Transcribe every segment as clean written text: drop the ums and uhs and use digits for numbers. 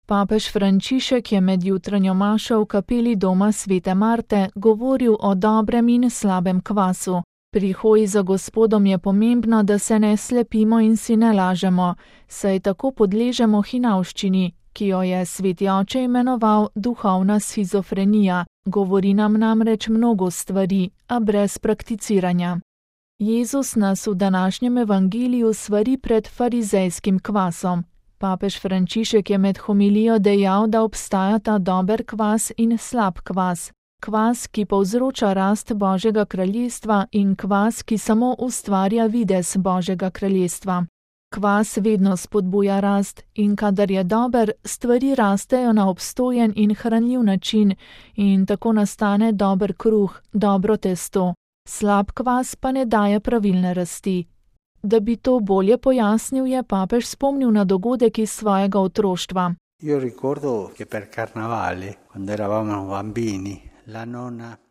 Papež Frančišek je med jutranjo mašo v kapeli doma svete Marte govoril o dobrem in slabem kvasu. Pri hoji za Gospodom je pomembno, da se ne slepimo in si ne lažemo, saj tako podležemo hinavščini, ki jo je sveti oče imenoval duhovna shizofrenija. Govori nam namreč mnogo stvari, a brez prakticiranja. Jezus nas v današnjem evangeliju svari pred farizejskim kvasom. Papež Frančišek je med homilijo dejal, da obstajata dober kvas in slab kvas. Kvas, ki povzroča rast Božjega kraljestva, in kvas, ki samo ustvarja videz Božjega kraljestva. Kvas vedno spodbuja rast in kadar je dober, stvari rastejo na obstojen in hranljiv način in tako nastane dober kruh, dobro testo. Slab kvas pa ne daje pravilne rasti. Da bi to bolje pojasnil, je papež spomnil na dogodek iz svojega otroštva.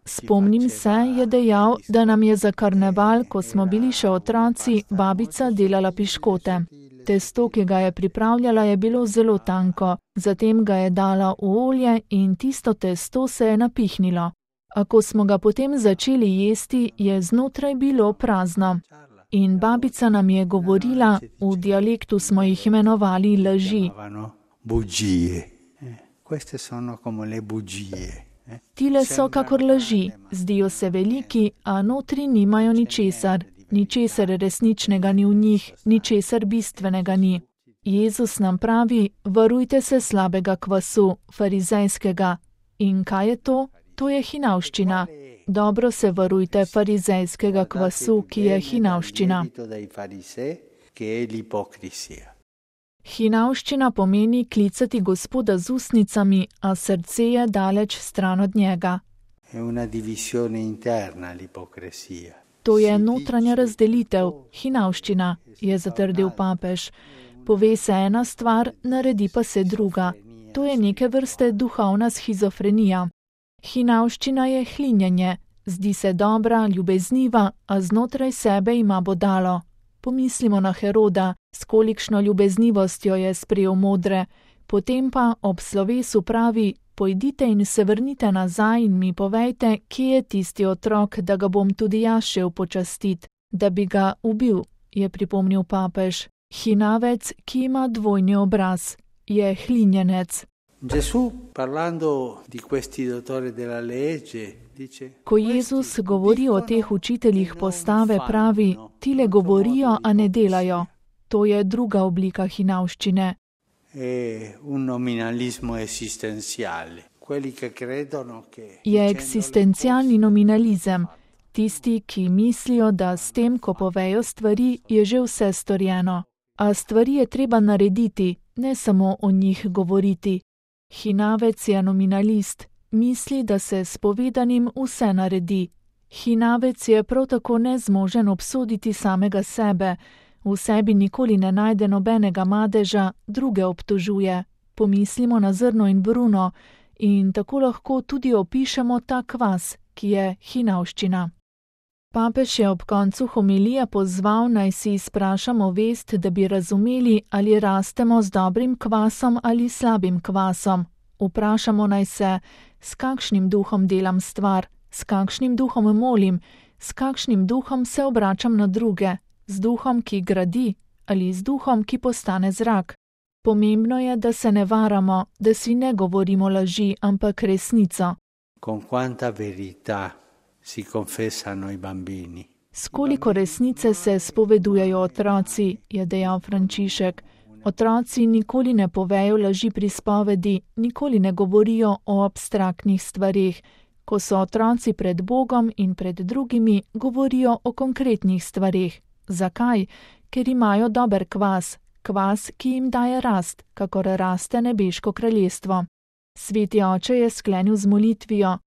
Spomnim se, je dejal, da nam je za karneval, ko smo bili še otroci, babica delala piškote. Testo, ki ga je pripravljala, je bilo zelo tanko, zatem ga je dala v olje in tisto testo se je napihnilo. A ko smo ga potem začeli jesti, je znotraj bilo prazno. In babica nam je govorila, v dialektu smo jih imenovali laži. Tile so kakor laži, zdijo se veliki, a notri nimajo ničesar. Ničesar resničnega ni v njih, ničesar bistvenega ni. Jezus nam pravi, varujte se slabega kvasu, farizejskega. In kaj je to? To je hinavščina. Dobro se varujte farizejskega kvasu, ki je hinavščina. Hinavščina pomeni klicati Gospoda z ustnicami, a srce je daleč stran od njega. To je notranja razdelitev, hinavščina, je zatrdil papež. Pove se ena stvar, naredi pa se druga. To je neke vrste duhovna shizofrenija. Hinavščina je hlinjenje, zdi se dobra, ljubezniva, a znotraj sebe ima bodalo. Pomislimo na Heroda, s kolikšno ljubeznivostjo je sprejel modre, potem pa ob slovesu pravi, pojdite in se vrnite nazaj in mi povejte, kje je tisti otrok, da ga bom tudi jaz šel počastit, da bi ga ubil, je pripomnil papež. Hinavec, ki ima dvojni obraz, je hlinjenec. Ko Jezus govori o teh učiteljih postave, pravi, tile govorijo, a ne delajo. To je druga oblika hinavščine. Je eksistencialni nominalizem. Tisti, ki mislijo, da s tem, ko povejo stvari, je že vse storjeno. A stvari je treba narediti, ne samo o njih govoriti. Hinavec je nominalist, misli, da se s povedanim vse naredi. Hinavec je prav tako nezmožen obsoditi samega sebe, v sebi nikoli ne najde nobenega madeža, druge obtožuje. Pomislimo na zrno in bruno in tako lahko tudi opišemo ta kvas, ki je hinavščina. Papež je ob koncu homilije pozval, naj si izprašamo vest, da bi razumeli, ali rastemo z dobrim kvasom ali slabim kvasom. Vprašamo naj se, s kakšnim duhom delam stvar, s kakšnim duhom molim, s kakšnim duhom se obračam na druge, z duhom, ki gradi, ali z duhom, ki postane zrak. Pomembno je, da se ne varamo, da si ne govorimo laži, ampak resnico. S koliko resnice se spovedujejo otroci, je dejal Frančišek. Otroci nikoli ne povejo laži pri spovedi, nikoli ne govorijo o abstraktnih stvareh. Ko so otroci pred Bogom in pred drugimi, govorijo o konkretnih stvareh. Zakaj? Ker imajo dober kvas, kvas, ki jim daje rast, kakor raste nebeško kraljestvo. Sveti oče je sklenil z molitvijo.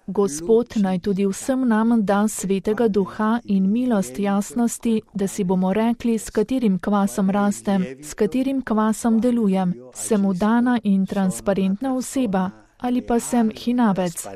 Gospod naj tudi vsem nam da svetega duha in milost jasnosti, da si bomo rekli, s katerim kvasom rastem, s katerim kvasom delujem. Sem udana in transparentna oseba ali pa sem hinavec.